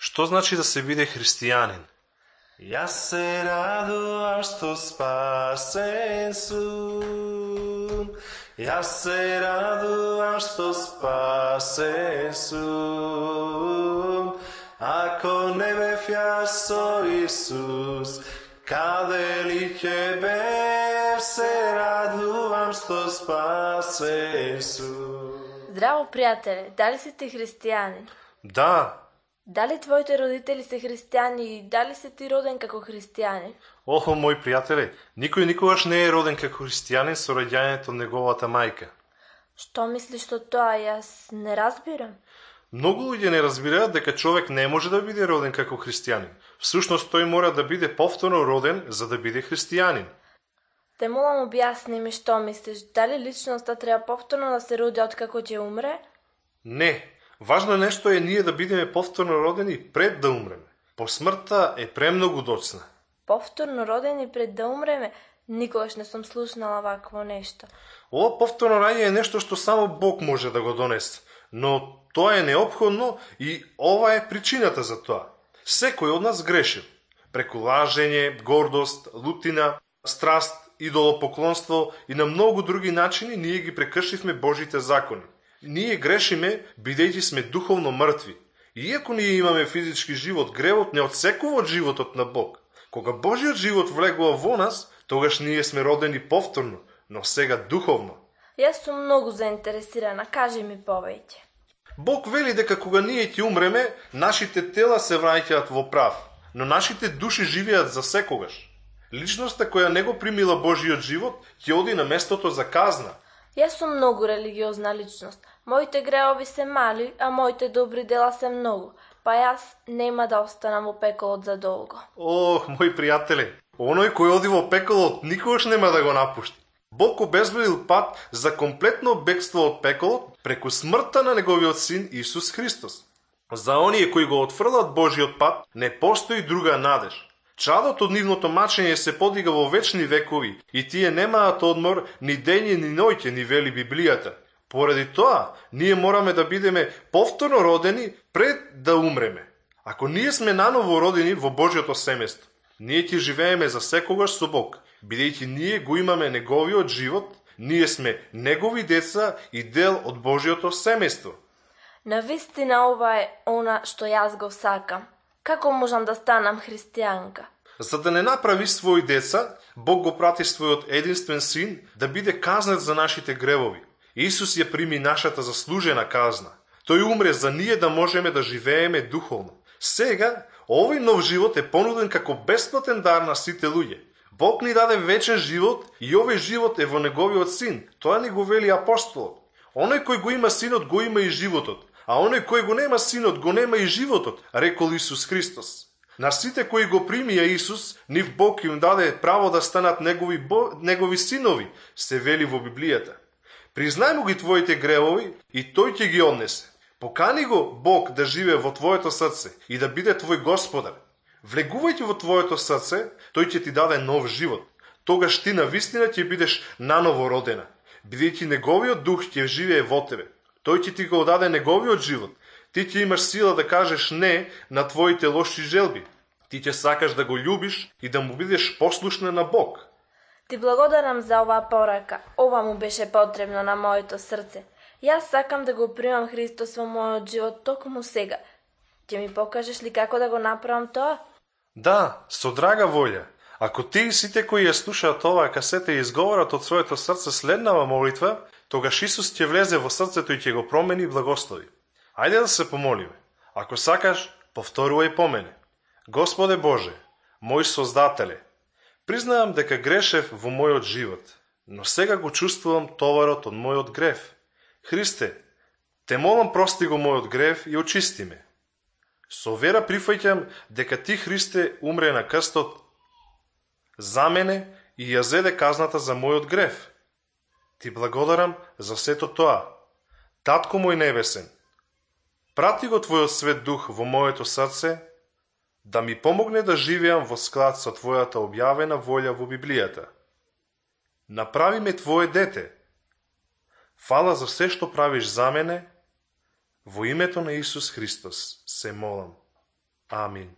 Што значи да се биде христијанин? Јас се радувам што спасен сум. Јас се радувам што спасен сум. Ако не бев јас со Исус, каде ли ќе бев? Се радувам што спасен сум. Здраво, пријателе, дали си ти христијанин? Да. Дали твоите родители се христијани и дали си ти роден како христијанин? Охо, мои пријателе, никој никогаш не е роден како христијанин со раѓањето од неговата мајка. Што мислиш со тоа? Јас не разбирам. Многу луѓе не разбираат дека човек не може да биде роден како христијанин. Всушност тој мора да биде повторно роден за да биде христијанин. Те молам, објасни ми што мислиш. Дали личноста треба повторно да се роди откако ќе умре? Не. Важно нешто е ние да бидеме повторно родени пред да умреме. По смртта е премногу доцна. Повторно родени пред да умреме? Никогаш не сум слушнала вакво нешто. Ова повторно раѓање е нешто што само Бог може да го донесе. Но тоа е неопходно и ова е причината за тоа. Секој од нас грешил. Преку лажење, гордост, лутина, страст, идолопоклонство и на многу други начини ние ги прекршивме Божите закони. Ние грешиме бидејќи сме духовно мртви. Иако ние имаме физички живот, гревот не отсекува од животот на Бог. Кога Божиот живот влегува во нас, тогаш ние сме родени повторно, но сега духовно. Јас сум многу заинтересирана, кажи ми повеќе. Бог вели дека кога ние ќе умреме, нашите тела се враќаат во прав, но нашите души живеат за секогаш. Личноста која не го примила Божиот живот ќе оди на местото за казна. Јас сум многу религиозна личност. Моите греови се мали, а моите добри дела се многу. Па јас нема да останам во пеколот за долго. Ох, мои пријателе, оној кој оди во пеколот никогаш нема да го напушти. Бог обезбедил пат за комплетно бегство од пеколот преку смртта на неговиот син Исус Христос. За оние кои го отфрлат Божиот пат, не постои друга надеж. Чадот од нивното мачење се подига во вечни векови и тие немаат одмор ни дење ни ноќе, ни вели Библијата. Поради тоа, ние мораме да бидеме повторно родени пред да умреме. Ако ние сме наново родени во Божјото семејство, ние ќе живееме за секогаш со Бог, бидејќи ние го имаме неговиот живот, ние сме негови деца и дел од Божјото семејство. Навистина ова е она што јас го сакам. Како можам да станам христијанка? За да не направи своји деца, Бог го прати својот единствен син да биде казнет за нашите гревови. Исус ја прими нашата заслужена казна. Тој умре за ние да можеме да живееме духовно. Сега, овој нов живот е понуден како бесплатен дар на сите луѓе. Бог ни даде вечен живот и овој живот е во неговиот син. Тоа ни го вели апостолот. Оној кој го има синот, го има и животот. А оној кој го нема синот, го нема и животот, рекол Исус Христос. На сите кои го примија Исус, нив Бог им даде право да станат негови синови, се вели во Библијата. Признај му ги твоите гревови и тој ќе ги однесе. Покани го Бог да живее во твоето срце и да биде твој Господар. Влегувајќи во твоето срце, тој ќе ти даде нов живот. Тогаш ти навистина ќе бидеш наново родена, бидејќи неговиот дух ќе живее во тебе. Тој ќе ти го даде неговиот живот. Ти ќе имаш сила да кажеш не на твоите лоши желби. Ти ќе сакаш да го љубиш и да му бидеш послушна на Бог. Ти благодарам за оваа порака. Ова му беше потребно на моето срце. Јас сакам да го примам Христос во мојот живот токму сега. Ќе ми покажеш ли како да го направам тоа? Да, со драга волја. Ако ти и сите кои ја слушаат оваа касета и изговорат од своето срце следнава молитва, тогаш Исус ќе влезе во срцето и ќе го промени и благослови. Ајде да се помолиме. Ако сакаш, повторувај по мене. Господе Боже, мој Создателе, признавам дека грешев во мојот живот, но сега го чувствувам товарот од мојот грев. Христе, те молам прости го мојот грев и очисти ме. Со вера прифаќам дека ти, Христе, умре на крстот за мене и ја зеде казната за мојот грев. Ти благодарам за сето тоа. Татко мој небесен, прати го Твојот свет дух во моето срце, да ми помогне да живеам во склад со Твојата објавена волја во Библијата. Направи ме Твое дете. Фала за се што правиш за мене, во името на Исус Христос се молам. Амин.